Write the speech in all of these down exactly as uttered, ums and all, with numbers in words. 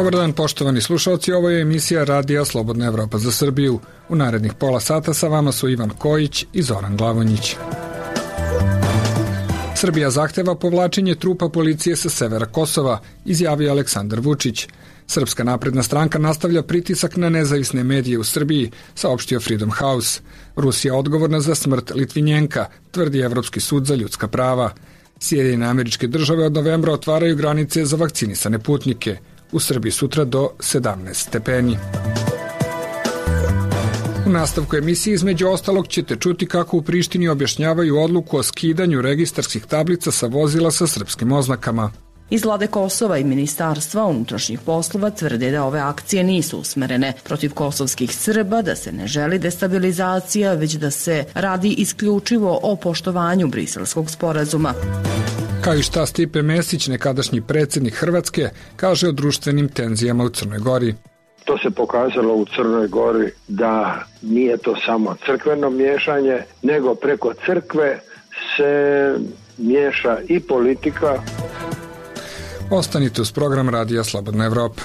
Dobar dan, poštovani slušalci, ovo je emisija Radija Slobodna Evropa za Srbiju. U narednih pola sata sa vama su Ivan Kojić i Zoran Glavonjić. Srbija zahteva povlačenje trupa policije sa severa Kosova, izjavio Aleksandar Vučić. Srpska napredna stranka nastavlja pritisak na nezavisne medije u Srbiji, saopštio Freedom House. Rusija odgovorna za smrt Litvinjenka, tvrdi Evropski sud za ljudska prava. Sjedinjene Američke Države od novembra otvaraju granice za vakcinisane putnike. U Srbiji sutra do sedamnaest stepeni. U nastavku emisije između ostalog ćete čuti kako u Prištini objašnjavaju odluku o skidanju registarskih tablica sa vozila sa srpskim oznakama. Iz vlade Kosova i Ministarstva unutrašnjih poslova tvrde da ove akcije nisu usmerene protiv kosovskih Srba, da se ne želi destabilizacija, već da se radi isključivo o poštovanju Briselskog sporazuma. Kao i šta Stipe Mesić, nekadašnji predsjednik Hrvatske, kaže o društvenim tenzijama u Crnoj Gori. To se pokazalo u Crnoj Gori da nije to samo crkveno miješanje, nego preko crkve se miješa i politika. Ostanite uz program Radija Slobodna Evropa.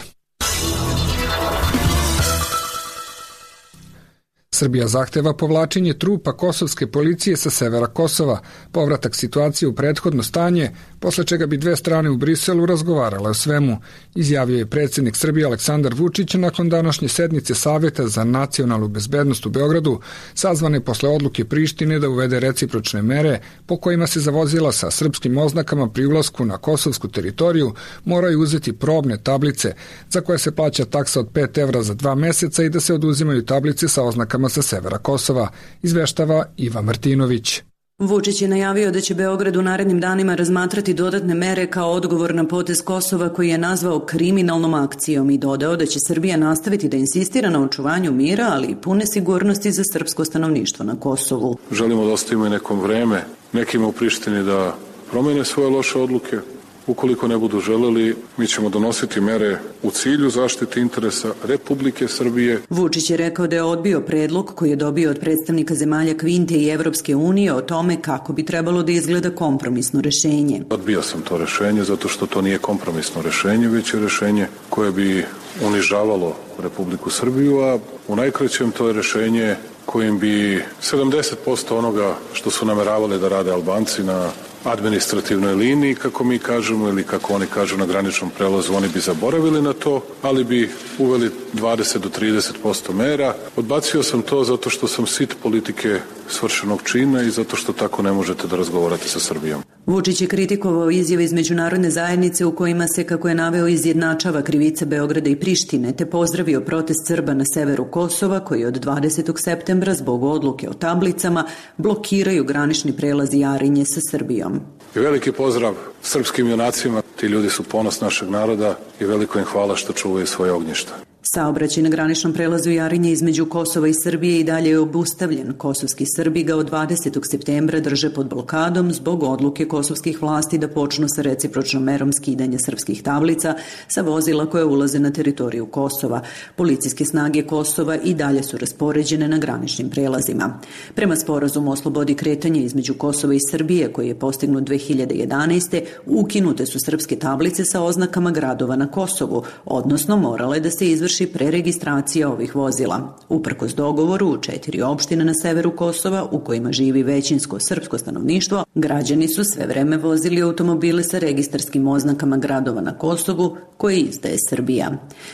Srbija zahteva povlačenje trupa kosovske policije sa severa Kosova, povratak situacije u prethodno stanje, posle čega bi dve strane u Briselu razgovarale o svemu, izjavio je predsjednik Srbije Aleksandar Vučić nakon današnje sednice Saveta za nacionalnu bezbednost u Beogradu, sazvane posle odluke Prištine da uvede recipročne mere po kojima se za vozila sa srpskim oznakama pri ulasku na kosovsku teritoriju moraju uzeti probne tablice za koje se plaća taksa od pet evra za dva meseca i da se oduzimaju tablice sa oznakama sa severa Kosova, izveštava Iva Martinović. Vučić je najavio da će Beograd u narednim danima razmatrati dodatne mere kao odgovor na potez Kosova koji je nazvao kriminalnom akcijom i dodao da će Srbija nastaviti da insistira na očuvanju mira, ali i pune sigurnosti za srpsko stanovništvo na Kosovu. Želimo da ostavimo i nekom vreme nekima u Prištini da promene svoje loše odluke. Ukoliko ne budu želeli, mi ćemo donositi mere u cilju zaštite interesa Republike Srbije. Vučić je rekao da je odbio predlog koji je dobio od predstavnika zemalja Kvinte i Evropske unije o tome kako bi trebalo da izgleda kompromisno rešenje. Odbio sam to rešenje zato što to nije kompromisno rešenje, već je rešenje koje bi unižavalo Republiku Srbiju, a u najkraćem to je rešenje kojim bi sedamdeset posto onoga što su nameravali da rade Albanci na administrativnoj liniji, kako mi kažemo, ili kako oni kažu na graničnom prelazu, oni bi zaboravili na to, ali bi uveli dvadeset do trideset posto mera. Odbacio sam to zato što sam sit politike svršenog čina i zato što tako ne možete da razgovarate sa Srbijom. Vučić je kritikovao izjave iz međunarodne zajednice u kojima se, kako je naveo, izjednačava krivica Beograda i Prištine, te pozdravio protest Srba na severu Kosova koji od dvadesetog septembra zbog odluke o tablicama blokiraju granični prelaz Jarinje sa Srbijom. I veliki pozdrav srpskim junacima, ti ljudi su ponos našeg naroda i veliko im hvala što čuvaju svoje ognjišta. Saobraćaj na graničnom prelazu Jarinje između Kosova i Srbije i dalje je obustavljen. Kosovski Srbi ga od dvadesetog septembra drže pod blokadom zbog odluke kosovskih vlasti da počnu sa recipročnom merom skidanja srpskih tablica sa vozila koje ulaze na teritoriju Kosova. Policijske snage Kosova i dalje su raspoređene na graničnim prelazima. Prema sporazumu o slobodi kretanja između Kosova i Srbije, koji je postignut dve hiljade jedanaeste. ukinute su srpske tablice sa oznakama gradova na Kosovu, odnosno morale da se izvrši preregistracija ovih vozila. Uprkos dogovoru u četiri opštine na severu Kosova, u kojima živi većinsko srpsko stanovništvo, građani su sve vreme vozili automobile sa registarskim oznakama gradova na Kosovu koje izdaje Srbija.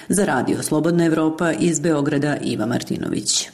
Za Radio Slobodna Evropa iz Beograda Iva Martinović.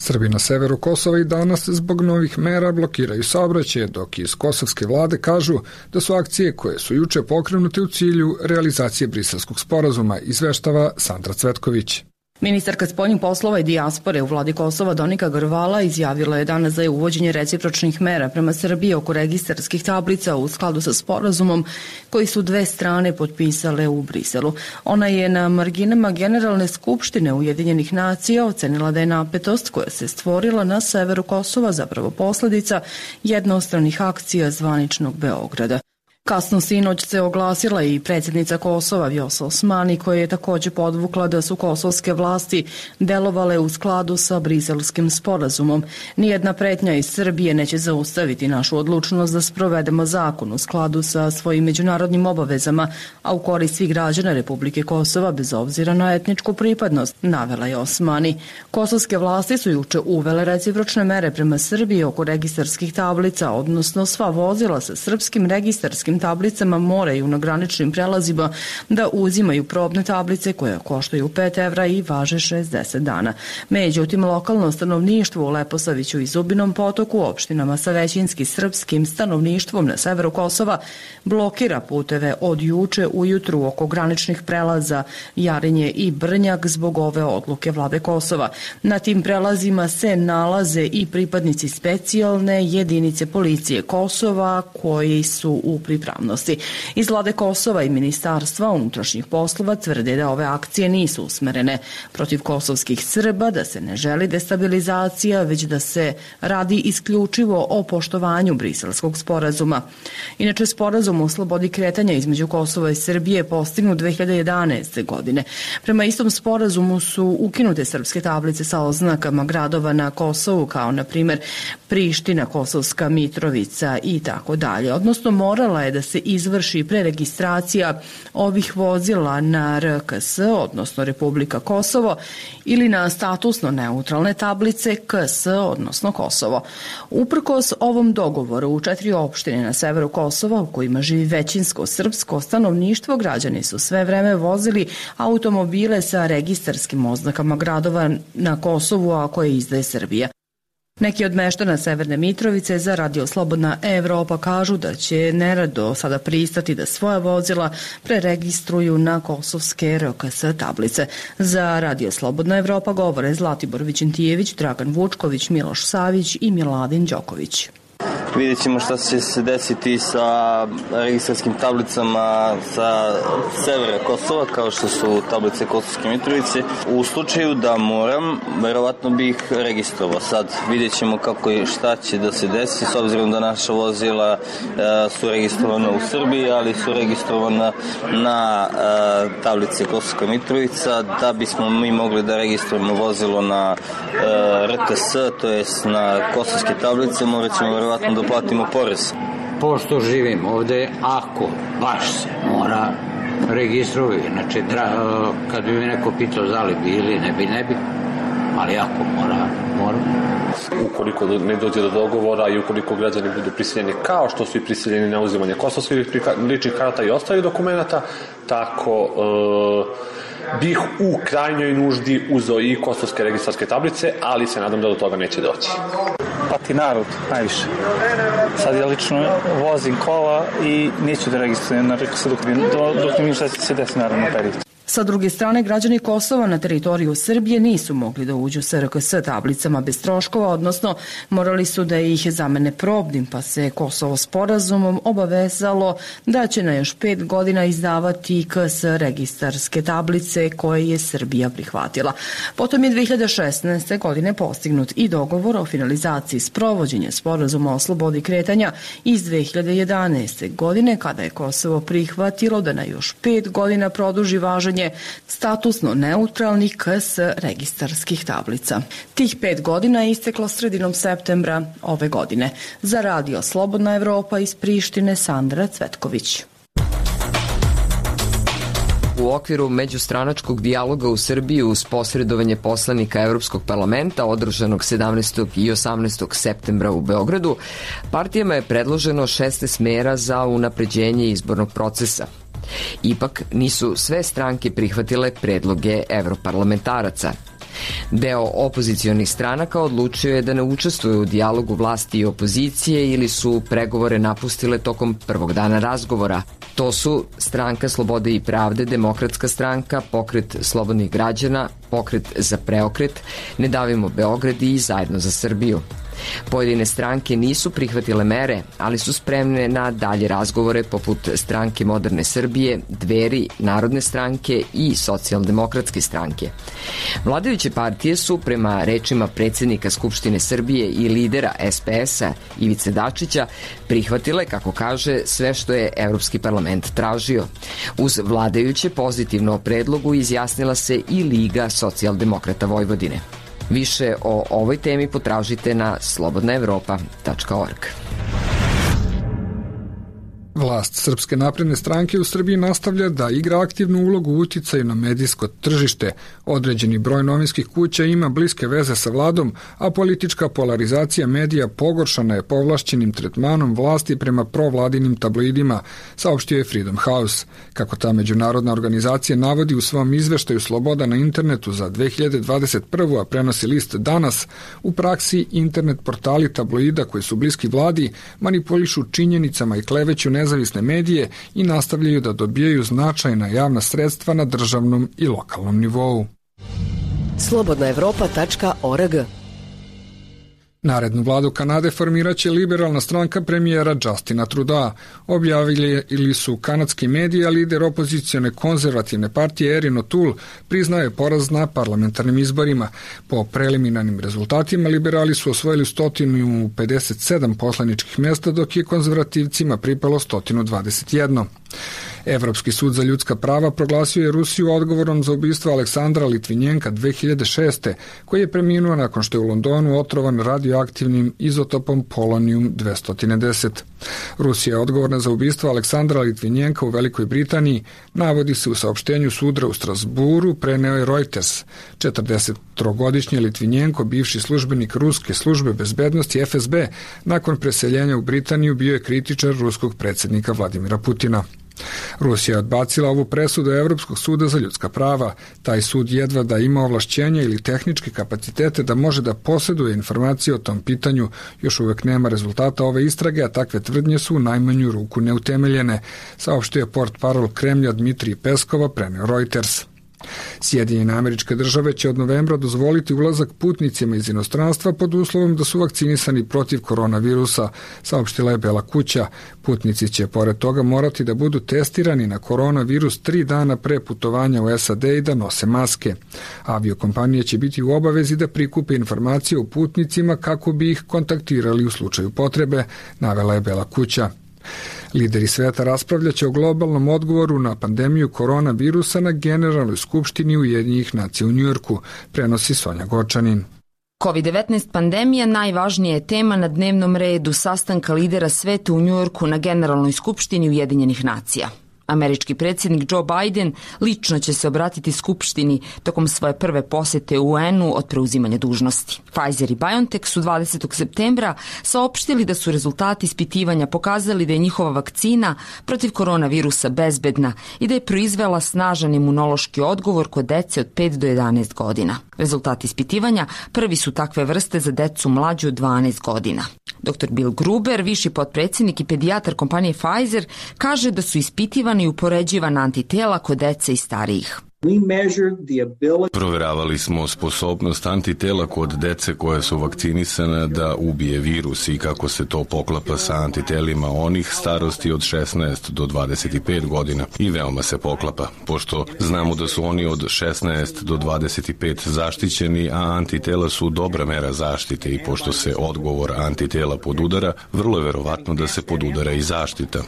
Srbi na severu Kosova i danas zbog novih mera blokiraju saobraćaj, dok iz kosovske vlade kažu da su akcije koje su juče pokrenute u cilju realizacije Briselskog sporazuma, izveštava Sandra Cvetković. Ministarka spoljnih poslova i dijaspore u vladi Kosova Donika Grvala izjavila je danas za uvođenje recipročnih mera prema Srbiji oko registarskih tablica u skladu sa sporazumom koji su dve strane potpisale u Briselu. Ona je na marginama Generalne skupštine Ujedinjenih nacija ocenila da je napetost koja se stvorila na severu Kosova zapravo posledica jednostranih akcija zvaničnog Beograda. Kasno sinoć se oglasila i predsjednica Kosova Vjosa Osmani, koja je također podvukla da su kosovske vlasti delovale u skladu sa Briselskim sporazumom. Nijedna pretnja iz Srbije neće zaustaviti našu odlučnost da sprovedemo zakon u skladu sa svojim međunarodnim obavezama, a u korist svih građana Republike Kosova bez obzira na etničku pripadnost, navela je Osmani. Kosovske vlasti su juče uvele recipročne mere prema Srbiji oko registarskih tablica, odnosno sva vozila sa srpskim registarskim tablicama moraju na graničnim prelazima da uzimaju probne tablice koje koštaju pet evra i važe šezdeset dana. Međutim, lokalno stanovništvo u Leposaviću i Zubinom Potoku, opštinama sa većinski srpskim stanovništvom na severu Kosova, blokira puteve od juče ujutru oko graničnih prelaza Jarinje i Brnjak zbog ove odluke vlade Kosova. Na tim prelazima se nalaze i pripadnici specijalne jedinice policije Kosova koji su u pripravnosti. Iz vlade Kosova i Ministarstva unutrašnjih poslova tvrde da ove akcije nisu usmerene protiv kosovskih Srba, da se ne želi destabilizacija, već da se radi isključivo o poštovanju Briselskog sporazuma. Inače, sporazum o slobodi kretanja između Kosova i Srbije postignut dve hiljade jedanaeste. godine. Prema istom sporazumu su ukinute srpske tablice sa oznakama gradova na Kosovu, kao na primjer Priština, Kosovska Mitrovica i tako dalje. Odnosno, morala je da se izvrši preregistracija ovih vozila na R K S, odnosno Republika Kosovo, ili na statusno neutralne tablice K S, odnosno Kosovo. Uprkos ovom dogovoru u četiri opštine na severu Kosova, u kojima živi većinsko srpsko stanovništvo, građani su sve vreme vozili automobile sa registarskim oznakama gradova na Kosovu, a koje izdaje Srbija. Neki od meštana Severne Mitrovice za Radio Slobodna Evropa kažu da će nerado sada pristati da svoja vozila preregistruju na kosovske R K S tablice. Za Radio Slobodna Evropa govore Zlatibor Vićentijević, Dragan Vučković, Miloš Savić i Miladin Đoković. Vidjet ćemo šta će se desiti sa registarskim tablicama sa severa Kosova, kao što su tablice Kosovske Mitrovice. U slučaju da moram, verovatno bih registrovao. Sad vidjet ćemo kako i šta će da se desi, s obzirom da naša vozila e, su registrovana u Srbiji, ali su registrovana na e, tablice Kosovska Mitrovica. Da bismo mi mogli da registrujemo vozilo na e, R K S, to jest na kosovske tablice, morat ćemo verovatno da platimo porez. Pošto živim ovde, ako baš se mora registrovati, znači tra, kad bi mi neko pitao da li bi ili ne bi, ne bi, ali ako mora, mora. Ukoliko ne dođe do dogovora i ukoliko građani budu prisiljeni, kao što su i prisiljeni na uzimanje kosovskih ličnih karata i ostalih dokumenata, tako e, bih u krajnjoj nuždi uzeo i kosovske registarske tablice, ali se nadam da do toga neće doći. Pati narod, najviše. Sad ja lično vozim kola i neću da registrujem na R K S dok, dok ne vidim šta će se desiti naravno period. Sa druge strane, građani Kosova na teritoriju Srbije nisu mogli da uđu sa R K S tablicama bez troškova, odnosno morali su da ih zamene probnim, pa se Kosovo sporazumom obavezalo da će na još pet godina izdavati K S registarske tablice koje je Srbija prihvatila. Potom je dve hiljade šesnaeste. godine postignut i dogovor o finalizaciji sprovođenja sporazuma o slobodi kretanja iz dve hiljade jedanaeste. godine, kada je Kosovo prihvatilo da na još pet godina produži važenje statusno neutralnih K S registarskih tablica. Tih pet godina je isteklo sredinom septembra ove godine. Za Radio Slobodna Evropa iz Prištine, Sandra Cvetković. U okviru međustranačkog dijaloga u Srbiji uz posredovanje poslanika Evropskog parlamenta održanog sedamnaestog i osamnaestog septembra u Beogradu, partijama je predloženo šesnaest mera za unapređenje izbornog procesa. Ipak nisu sve stranke prihvatile predloge evroparlamentaraca. Deo opozicionih stranaka odlučio je da ne učestvuje u dijalogu vlasti i opozicije ili su pregovore napustile tokom prvog dana razgovora. To su Stranka slobode i pravde, Demokratska stranka, Pokret slobodnih građana, Pokret za preokret, Ne davimo Beograd i Zajedno za Srbiju. Pojedine stranke nisu prihvatile mere, ali su spremne na dalje razgovore poput Stranke moderne Srbije, Dveri, Narodne stranke i Socijaldemokratske stranke. Vladajuće partije su, prema rečima predsjednika Skupštine Srbije i lidera S P S-a Ivice Dačića, prihvatile, kako kaže, sve što je Evropski parlament tražio. Uz vladajuće pozitivno o predlogu izjasnila se i Liga socijaldemokrata Vojvodine. Više o ovoj temi potražite na slobodna evropa tačka org. Vlast Srpske napredne stranke u Srbiji nastavlja da igra aktivnu ulogu u uticaju na medijsko tržište. Određeni broj novinskih kuća ima bliske veze sa vladom, a politička polarizacija medija pogoršana je povlašćenim tretmanom vlasti prema provladinim tabloidima, saopštio je Freedom House. Kako ta međunarodna organizacija navodi u svom izveštaju Sloboda na internetu za dve hiljade dvadeset prvu. a prenosi list Danas, u praksi internet portali tabloida koji su bliski vladi manipulišu činjenicama i kleveću nezavisne medije i nastavljaju da dobijaju značajna javna sredstva na državnom i lokalnom nivou. slobodna evropa tačka org. Narednu vladu Kanade formiraće liberalna stranka premijera Justina Trudeau. Objavili ili su kanadski mediji, a lider opozicione konzervativne partije Erin O'Toole priznaje poraz na parlamentarnim izborima. Po preliminarnim rezultatima liberali su osvojili sto pedeset sedam poslaničkih mesta, dok je konzervativcima pripalo sto dvadeset jedan. Evropski sud za ljudska prava proglasio je Rusiju odgovornom za ubistvo Aleksandra Litvinjenka dve hiljade šeste. koji je preminuo nakon što je u Londonu otrovan radioaktivnim izotopom polonijum dvesta deset. Rusija je odgovorna za ubistvo Aleksandra Litvinjenka u Velikoj Britaniji, navodi se u saopštenju suda u Strasburu, preneo je Reuters. četrdesettrogodišnji Litvinjenko, bivši službenik ruske službe bezbednosti F S B, nakon preseljenja u Britaniju bio je kritičar ruskog predsjednika Vladimira Putina. Rusija je odbacila ovu presudu Evropskog suda za ljudska prava. Taj sud jedva da ima ovlašćenja ili tehničke kapacitete da može da posjeduje informacije o tom pitanju. Još uvek nema rezultata ove istrage, a takve tvrdnje su u najmanju ruku neutemeljene, saopštio je portparol Kremlja Dmitrij Peskova, preneo Reuters. Sjedinjene Američke Države će od novembra dozvoliti ulazak putnicima iz inostranstva pod uslovom da su vakcinisani protiv koronavirusa, saopštila je Bela kuća. Putnici će pored toga morati da budu testirani na koronavirus tri dana pre putovanja u S A D i da nose maske. Aviokompanije će biti u obavezi da prikupe informacije o putnicima kako bi ih kontaktirali u slučaju potrebe, navela je Bela kuća. Lideri sveta raspravljaće o globalnom odgovoru na pandemiju koronavirusa na Generalnoj skupštini Ujedinjenih nacija u Njujorku, prenosi Sonja Gočanin. kovid devetnaest pandemija najvažnija je tema na dnevnom redu sastanka lidera sveta u Njujorku na Generalnoj skupštini Ujedinjenih nacija. Američki predsjednik Joe Biden lično će se obratiti Skupštini tokom svoje prve posete U N-u od preuzimanja dužnosti. Pfizer i BioNTech su dvadesetog septembra saopštili da su rezultati ispitivanja pokazali da je njihova vakcina protiv koronavirusa bezbedna i da je proizvela snažan imunološki odgovor kod dece od pet do jedanaest godina. Rezultati ispitivanja prvi su takve vrste za decu mlađu od dvanaest godina. doktor Bill Gruber, viši potpredsjednik i pedijatar kompanije Pfizer, kaže da su ispitivana i upoređivana antitela kod dece i starijih. Proveravali smo sposobnost antitela kod dece koje su vakcinisane da ubije virus i kako se to poklapa sa antitelima onih starosti od šesnaest do dvadeset pet godina i veoma se poklapa, pošto znamo da su oni od šesnaest do dvadeset pet zaštićeni, a antitela su dobra mera zaštite i pošto se odgovor antitela podudara, vrlo je verovatno da se podudara i zaštita.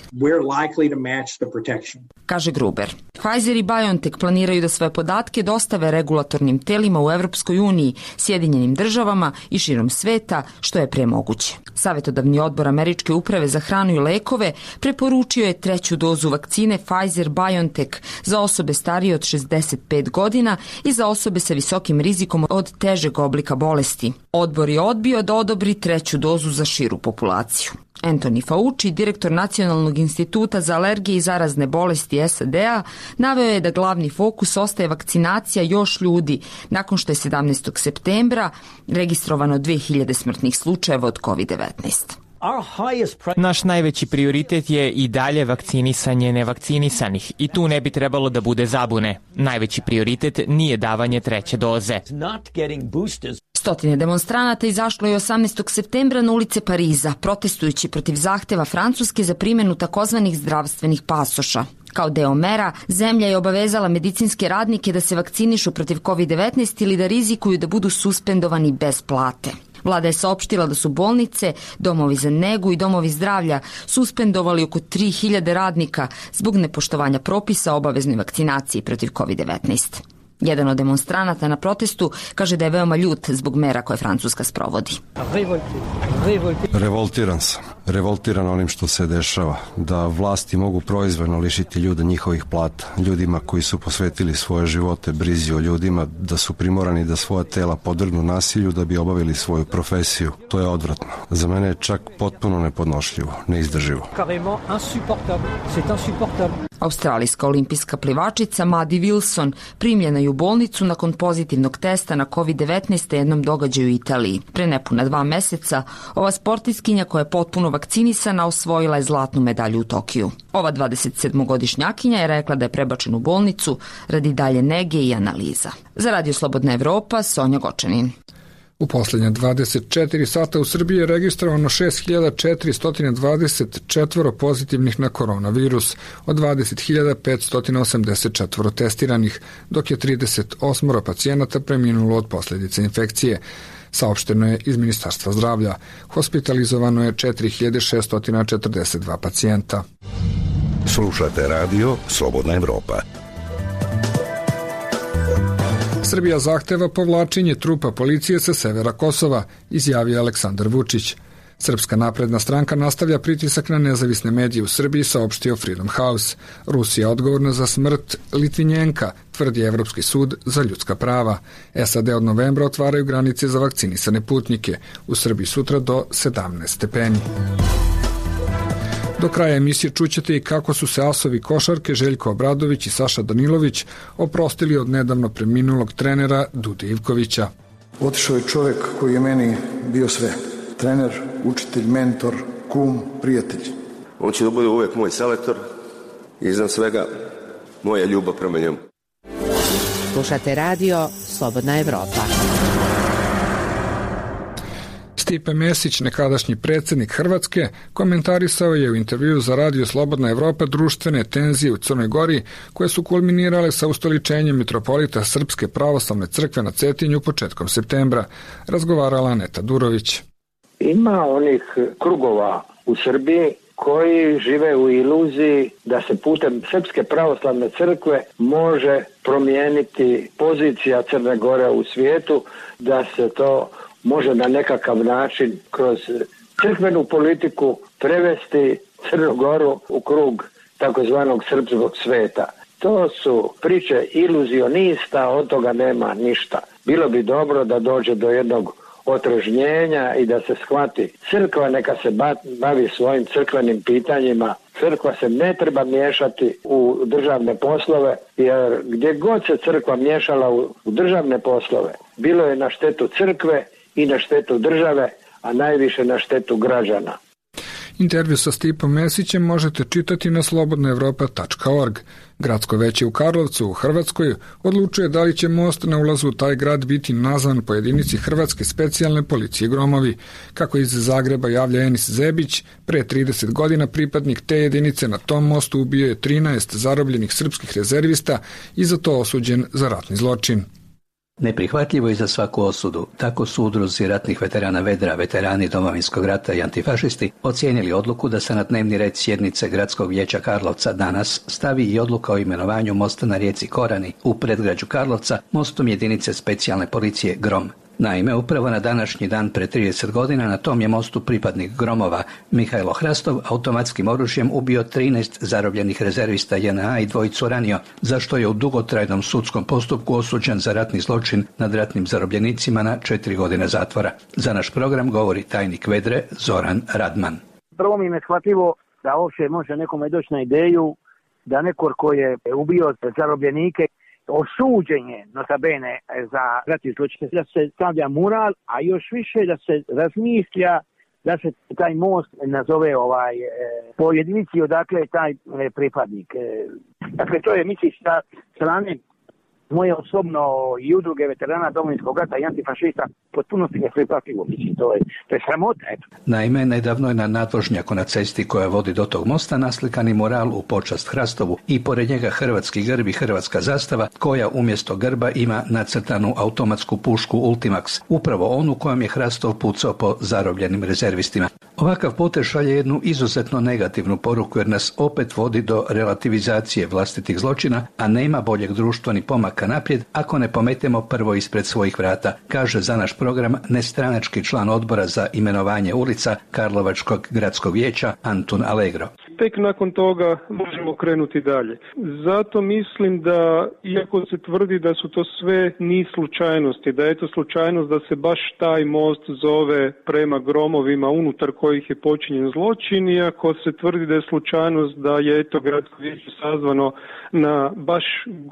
Kaže Gruber. Pfizer i BioNTech planiraju da svoje podatke dostave regulatornim telima u Evropskoj uniji, Sjedinjenim državama i širom sveta, što je pre moguće. Savetodavni odbor Američke uprave za hranu i lekove preporučio je treću dozu vakcine Pfizer-BioNTech za osobe starije od šezdeset pet godina i za osobe sa visokim rizikom od težeg oblika bolesti. Odbor je odbio da odobri treću dozu za širu populaciju. Anthony Fauci, direktor Nacionalnog instituta za alergije i zarazne bolesti S A D-a, naveo je da glavni fokus ostaje vakcinacija još ljudi nakon što je sedamnaestog septembra registrovano dve hiljade smrtnih slučajeva od kovid devetnaest. Naš najveći prioritet je i dalje vakcinisanje nevakcinisanih i tu ne bi trebalo da bude zabune. Najveći prioritet nije davanje treće doze. Stotine demonstranata izašlo je osamnaestog septembra na ulice Pariza, protestujući protiv zahteva Francuske za primjenu takozvanih zdravstvenih pasoša. Kao deo mera, zemlja je obavezala medicinske radnike da se vakcinišu protiv kovid devetnaest ili da rizikuju da budu suspendovani bez plate. Vlada je saopštila da su bolnice, domovi za negu i domovi zdravlja suspendovali oko tri hiljade radnika zbog nepoštovanja propisa o obaveznoj vakcinaciji protiv kovid devetnaest. Jedan od demonstranata na protestu kaže da je veoma ljut zbog mera koje Francuska sprovodi. Revoltiran sam. Revoltiran onim što se dešava. Da vlasti mogu proizvoljno lišiti ljude njihovih plata. Ljudima koji su posvetili svoje živote brizi o ljudima, da su primorani da svoja tela podvrgnu nasilju da bi obavili svoju profesiju. To je odvratno. Za mene je čak potpuno nepodnošljivo, neizdrživo. Australijska olimpijska plivačica Maddie Wilson primljena je u bolnicu nakon pozitivnog testa na kovid devetnaest na jednom događaju u Italiji. Pre nepuna dva meseca ova sportiskinja koja je potpuno vakcinisana osvojila je zlatnu medalju u Tokiju. Ova dvadesetsedmogodišnjakinja je rekla da je prebačena u bolnicu radi dalje nege i analiza. Za Radio Slobodna Evropa, Sonja Gočanin. U posljednje dvadeset četiri sata u Srbiji je registrovano šest hiljada četiristo dvadeset četiri pozitivnih na koronavirus, od dvadeset hiljada petsto osamdeset četiri testiranih, dok je trideset osam pacijenata preminulo od posljedice infekcije. Saopšteno je iz Ministarstva zdravlja. Hospitalizovano je četiri hiljade šesto četrdeset dva pacijenta. Slušate radio Slobodna Evropa. Srbija zahteva povlačenje trupa policije sa severa Kosova, izjavio Aleksandar Vučić. Srpska napredna stranka nastavlja pritisak na nezavisne medije u Srbiji, saopštio Freedom House. Rusija odgovorna za smrt Litvinjenka, tvrdi Evropski sud za ljudska prava. S A D od novembra otvaraju granice za vakcinisane putnike. U Srbiji sutra do sedamnaest stepeni. Do kraja emisije čućete i kako su se asovi košarke Željko Obradović i Saša Danilović oprostili od nedavno preminulog trenera Dude Ivkovića. Otišao je čovjek koji je meni bio sve. Trener, učitelj, mentor, kum, prijatelj. On će da bude uvijek moj selektor i iznad svega moja ljubav prema njemu. Slušate radio Slobodna Evropa. Stipe Mesić, nekadašnji predsjednik Hrvatske, komentarisao je u intervjuu za radio Slobodna Evropa društvene tenzije u Crnoj Gori koje su kulminirale sa ustoličenjem mitropolita Srpske pravoslavne crkve na Cetinju početkom septembra. Razgovarala Aneta Durović. Ima onih krugova u Srbiji koji žive u iluziji da se putem Srpske pravoslavne crkve može promijeniti pozicija Crne Gore u svijetu, da se to može na nekakav način kroz crkvenu politiku prevesti Crnu Goru u krug takozvanog srpskog sveta. To su priče iluzionista, od toga nema ništa. Bilo bi dobro da dođe do jednog otrežnjenja i da se shvati crkva neka se bavi svojim crkvenim pitanjima. Crkva se ne treba miješati u državne poslove, jer gdje god se crkva miješala u državne poslove, bilo je na štetu crkve i na štetu države, a najviše na štetu građana. Intervju sa Stipom Mesićem možete čitati na slobodna evropa tačka org. Gradsko veće u Karlovcu u Hrvatskoj odlučuje da li će most na ulazu u taj grad biti nazvan po jedinici Hrvatske specijalne policije Gromovi. Kako iz Zagreba javlja Enis Zebić, pre trideset godina pripadnik te jedinice na tom mostu ubio je trinaest zarobljenih srpskih rezervista i za to osuđen za ratni zločin. Neprihvatljivo je za svaku osudu. Tako su udruzi ratnih veterana Vedra, veterani Domovinskog rata i antifašisti ocijenili odluku da se na dnevni red sjednice Gradskog vijeća Karlovca danas stavi i odluka o imenovanju mosta na rijeci Korani u predgrađu Karlovca mostom jedinice specijalne policije Grom. Naime, upravo na današnji dan pre trideset godina na tom je mostu pripadnik Gromova Mihajlo Hrastov automatskim oružjem ubio trinaest zarobljenih rezervista J N A i dvojicu ranio, za što je u dugotrajnom sudskom postupku osuđen za ratni zločin nad ratnim zarobljenicima na četiri godine zatvora. Za naš program govori tajnik Vedre Zoran Radman. Prvo mi je neshvatljivo da uopće može nekome doći na ideju da neko ko je ubio zarobljenike osuđen je notabene za ratni zločin, da se stavlja mural, a još više da se razmišlja da se taj most nazove ovaj po jedinici odakle je taj pripadnik. Dakle, to je, misliš, sa strane moje osobno i udruge veterana Domovinskog rata i antifašista potpunosti ne prihvatljivo. Mislim, to je, to je sramota. Eto. Naime, nedavno je na nadvožnjaku na cesti koja vodi do tog mosta naslikani mural u počast Hrastovu i pored njega hrvatski grb i hrvatska zastava koja umjesto grba ima nacrtanu automatsku pušku Ultimax, upravo onu kojom je Hrastov pucao po zarobljenim rezervistima. Ovakav potez šalje jednu izuzetno negativnu poruku jer nas opet vodi do relativizacije vlastitih zločina, a nema boljeg društva ni pomaka naprijed ako ne pometemo prvo ispred svojih vrata, kaže za naš program nestranački član odbora za imenovanje ulica Karlovačkog gradskog vijeća Antun Allegro. Tek nakon toga možemo krenuti dalje. Zato mislim da, iako se tvrdi da su to sve niz slučajnosti, da je to slučajnost da se baš taj most zove prema gromovima unutar kojih je počinjen zločin, iako se tvrdi da je slučajnost da je eto gradsko vijeće sazvano na baš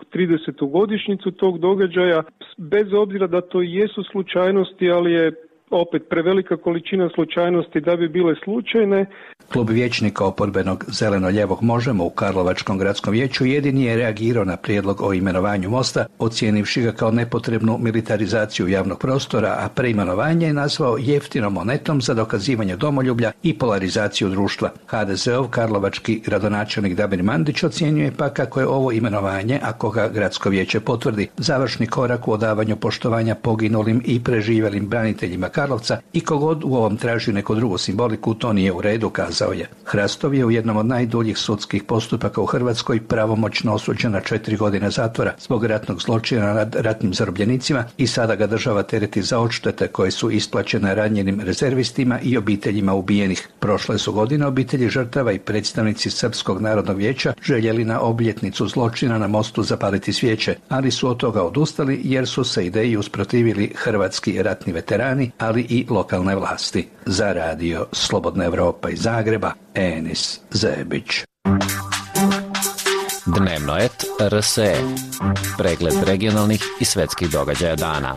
tridesetu godišnjicu tog događaja, bez obzira da to jesu slučajnosti, ali je opet prevelika količina slučajnosti da bi bile slučajne. Klub vijećnika oporbenog zeleno-ljevog Možemo u Karlovačkom gradskom vijeću jedini je reagirao na prijedlog o imenovanju mosta, ocijenivši ga kao nepotrebnu militarizaciju javnog prostora, a preimenovanje je nazvao jeftinom monetom za dokazivanje domoljublja i polarizaciju društva. ha de ze ov karlovački gradonačelnik Damir Mandić ocjenjuje pa kako je ovo imenovanje, ako ga gradsko vijeće potvrdi, završni korak u odavanju poštovanja poginulim i preživjelim braniteljima Karlovca i kogod u ovom traži neku drugu simboliku, to nije u redu, kazao je. Hrastov je u jednom od najduljih sudskih postupaka u Hrvatskoj pravomoćno osuđen na četiri godine zatvora zbog ratnog zločina nad ratnim zarobljenicima i sada ga država tereti za odštete koje su isplaćene ranjenim rezervistima i obiteljima ubijenih. Prošle su godine obitelji žrtava i predstavnici Srpskog narodnog vijeća željeli na obljetnicu zločina na mostu zapaliti svijeće, ali su od toga odustali jer su se ideji usprotivili hrvatski ratni veterani, ali i lokalne vlasti. Za radio Slobodna Evropa iz Zagreba, Enis Zebić. Dnevno et er es e. Pregled regionalnih i svetskih događaja dana.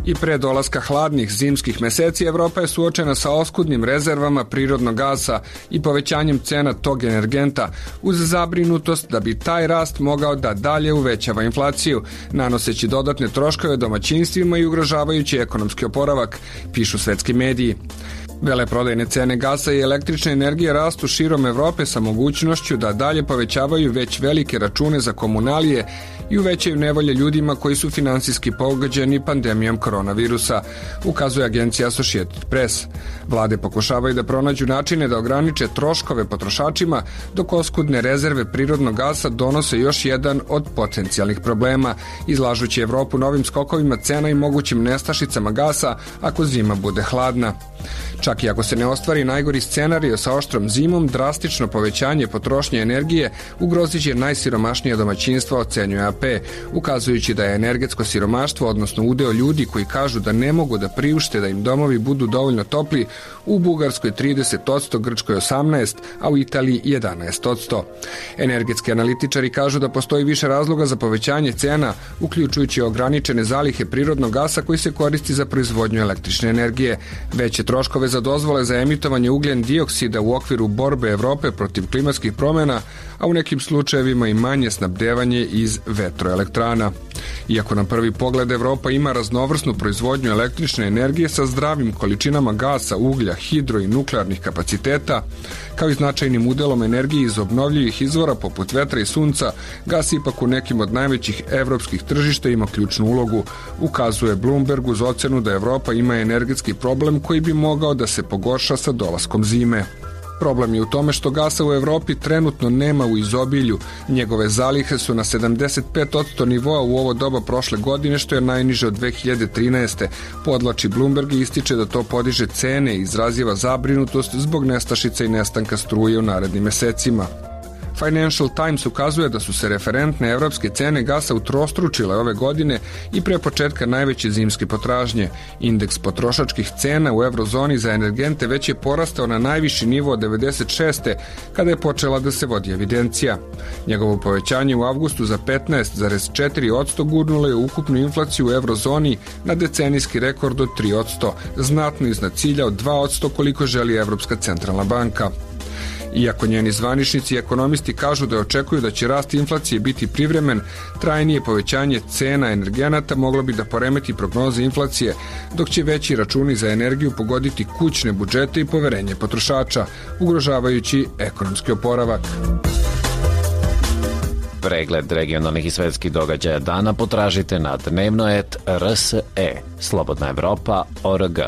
I pre dolaska hladnih zimskih meseci Evropa je suočena sa oskudnim rezervama prirodnog gasa i povećanjem cena tog energenta uz zabrinutost da bi taj rast mogao da dalje uvećava inflaciju, nanoseći dodatne troškove domaćinstvima i ugrožavajući ekonomski oporavak, pišu svetski mediji. Veleprodajne cene gasa i električne energije rastu širom Evrope sa mogućnošću da dalje povećavaju već velike račune za komunalije i uvećaju nevolje ljudima koji su finansijski pogođeni pandemijom koronavirusa, ukazuje agencija Associated Press. Vlade pokušavaju da pronađu načine da ograniče troškove potrošačima, dok oskudne rezerve prirodnog gasa donose još jedan od potencijalnih problema, izlažući Evropu novim skokovima cena i mogućim nestašicama gasa ako zima bude hladna. Čak i ako se ne ostvari najgori scenario sa oštrom zimom, drastično povećanje potrošnje energije ugrozit će najsiromašnije domaćinstva, ocenjuje a pe, ukazujući da je energetsko siromaštvo, odnosno udeo ljudi koji kažu da ne mogu da priušte da im domovi budu dovoljno topli, u Bugarskoj trideset posto, Grčkoj osamnaest posto, a u Italiji jedanaest posto. Energetski analitičari kažu da postoji više razloga za povećanje cena, uključujući ograničene zalihe prirodnog gasa koji se koristi za proizvodnju električne energije, veće troškove za dozvole za emitovanje ugljen dioksida u okviru borbe Evrope protiv klimatskih promjena, a u nekim slučajevima i manje snabdevanje iz vetroelektrana. Iako na prvi pogled Evropa ima raznovrsnu proizvodnju električne energije sa zdravim količinama gasa, uglja, hidro i nuklearnih kapaciteta, kao i značajnim udelom energije iz obnovljivih izvora poput vetra i sunca, gas ipak u nekim od najvećih evropskih tržišta ima ključnu ulogu, ukazuje Bloomberg uz ocenu da Evropa ima energetski problem koji bi mogao da se pogorša sa dolaskom zime. Problem je u tome što gasa u Evropi trenutno nema u izobilju. Njegove zalihe su na sedamdeset pet posto nivoa u ovo doba prošle godine, što je najniže od dve hiljade trinaeste. Podlači Bloomberg i ističe da to podiže cene i izraziva zabrinutost zbog nestašica i nestanka struje u narednim mesecima. Financial Times ukazuje da su se referentne evropske cene gasa utrostručile ove godine i pre početka najveće zimske potražnje. Indeks potrošačkih cena u eurozoni za energente već je porastao na najviši nivo od devedeset šeste. kada je počela da se vodi evidencija. Njegovo povećanje u avgustu za petnaest zarez četiri posto gurnulo je ukupnu inflaciju u eurozoni na decenijski rekord od tri posto, znatno iznad cilja od dva posto koliko želi Evropska centralna banka. Iako njeni zvaničnici i ekonomisti kažu da očekuju da će rast inflacije biti privremen, trajnije povećanje cena energenata moglo bi da poremeti prognoze inflacije, dok će veći računi za energiju pogoditi kućne budžete i poverenje potrošača, ugrožavajući ekonomski oporavak. Pregled regionalnih i svetskih događaja dana potražite na dnevnoet R S E, Slobodna Evropa, O R G.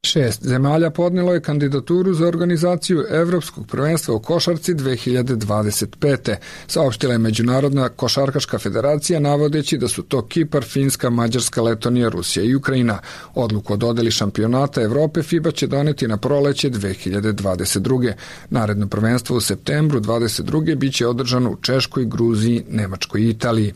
Šest zemalja podnelo je kandidaturu za organizaciju Evropskog prvenstva u košarci dve hiljade dvadeset pete. Saopštila je Međunarodna košarkaška federacija navodeći da su to Kipar, Finska, Mađarska, Letonija, Rusija i Ukrajina. Odluku o dodeli šampionata Evrope FIBA će doneti na proleće dve hiljade dvadeset druge. Naredno prvenstvo u septembru dvadeset druge biće održano u Češkoj, Gruziji, Nemačkoj i Italiji.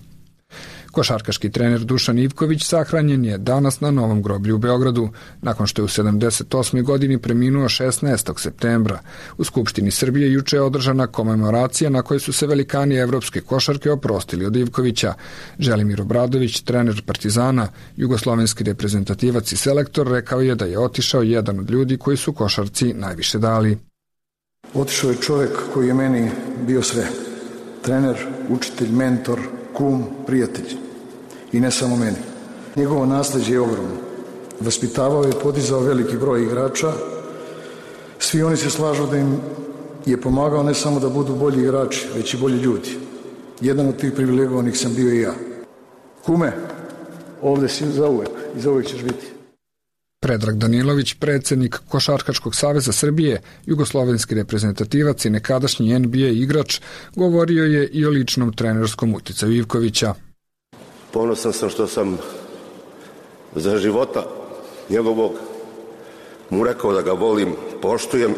Košarkaški trener Dušan Ivković sahranjen je danas na Novom groblju u Beogradu, nakon što je u sedamdeset osmoj godini preminuo šesnaestog septembra. U Skupštini Srbije juče je održana komemoracija na kojoj su se velikani evropske košarke oprostili od Ivkovića. Želimir Obradović, trener Partizana, jugoslovenski reprezentativac i selektor, rekao je da je otišao jedan od ljudi koji su košarci najviše dali. Otišao je čovjek koji je meni bio sve. Trener, učitelj, mentor, kum, prijatelj. I ne samo meni. Njegovo nasleđe je ogromno. Vaspitavao je i podizao veliki broj igrača. Svi oni se slažu da im je pomagao ne samo da budu bolji igrači, već i bolji ljudi. Jedan od tih privilegovanih sam bio i ja. Kume, ovde si zauvek i zauvek ćeš biti. Predrag Danilović, predsjednik Košarkaškog saveza Srbije, jugoslovenski reprezentativac i nekadašnji N B A igrač, govorio je i o ličnom trenerskom uticaju Ivkovića. Ponosan sam što sam za života njegovog mu rekao da ga volim, poštujem,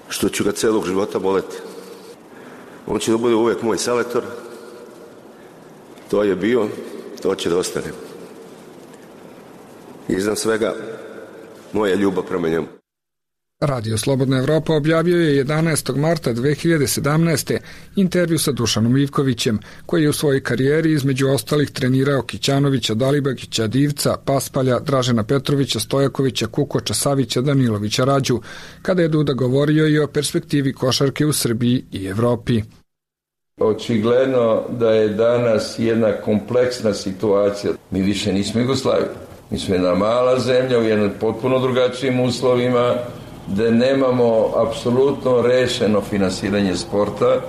što ću ga celog života voleti. On će da bude uvek moj selektor, to je bio, to će da ostane. Iznad svega, moja ljubav prema njemu. Radio Slobodna Evropa objavio je jedanaestog marta dve hiljade sedamnaeste. intervju sa Dušanom Ivkovićem, koji je u svojoj karijeri između ostalih trenirao Kićanovića, Dalibagića, Divca, Paspalja, Dražena Petrovića, Stojakovića, Kukoča, Savića, Danilovića, Rađu, kada je Duda govorio i o perspektivi košarke u Srbiji i Evropi. Očigledno da je danas jedna kompleksna situacija. Mi više nismo Jugoslavija. Mi smo jedna mala zemlja u jednom potpuno drugačijim uslovima, gde nemamo apsolutno rešeno finansiranje sporta,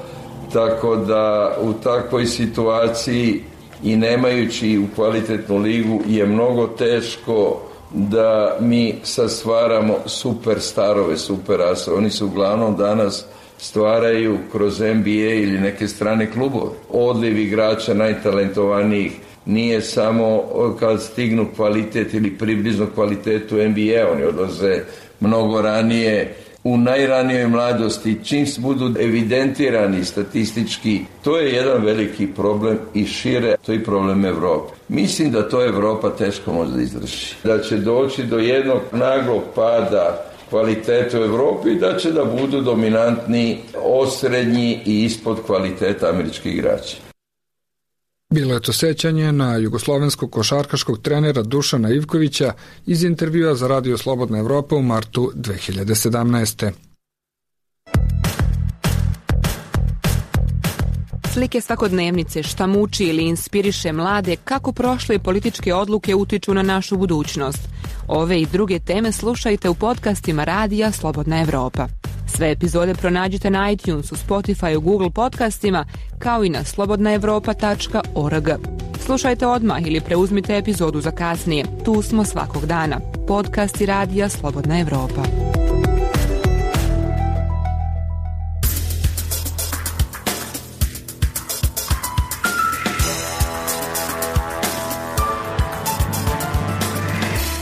tako da u takvoj situaciji i nemajući u kvalitetnu ligu je mnogo teško da mi sastvaramo superstarove, superasove. Oni se uglavnom danas stvaraju kroz N B A ili neke strane klubove. Odliv igrača najtalentovanijih nije samo kad stignu kvalitet ili približno kvalitetu N B A, oni odlaze mnogo ranije, u najranijoj mladosti, čim budu evidentirani statistički. To je jedan veliki problem i šire, to je problem Evrope. Mislim da to Evropa teško može da izdrži. Da će doći do jednog naglog pada kvaliteta u Evropi i da će da budu dominantni, osrednji i ispod kvaliteta američkih igrača. Bilo je to sećanje na jugoslovenskog košarkaškog trenera Dušana Ivkovića iz intervjua za Radio Slobodna Evropa u martu dve hiljade sedamnaeste. Slike svakodnevnice, šta muči ili inspiriše mlade, kako prošle političke odluke utiču na našu budućnost. Ove i druge teme slušajte u podcastima Radija Slobodna Evropa. Sve epizode pronađite na iTunesu, Spotifyu, Google podcastima, kao i na slobodna evropa tačka org. Slušajte odmah ili preuzmite epizodu za kasnije. Tu smo svakog dana. Podcasti Radija Slobodna Evropa.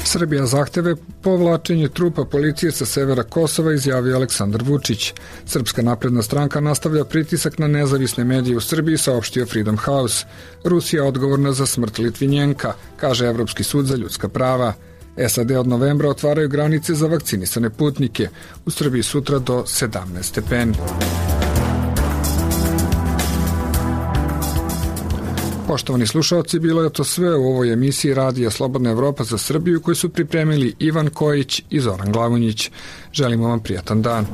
Srbija zahteve povlačenje trupa policije sa severa Kosova, izjavio Aleksandar Vučić. Srpska napredna stranka nastavlja pritisak na nezavisne medije u Srbiji, saopštio Freedom House. Rusija odgovorna za smrt Litvinjenka, kaže Evropski sud za ljudska prava. S A D od novembra otvaraju granice za vakcinisane putnike. U Srbiji sutra do sedamnaest stepeni. Poštovani slušalci, bilo je to sve u ovoj emisiji Radija Slobodna Evropa za Srbiju koju su pripremili Ivan Kojić i Zoran Glavonjić. Želimo vam prijatan dan.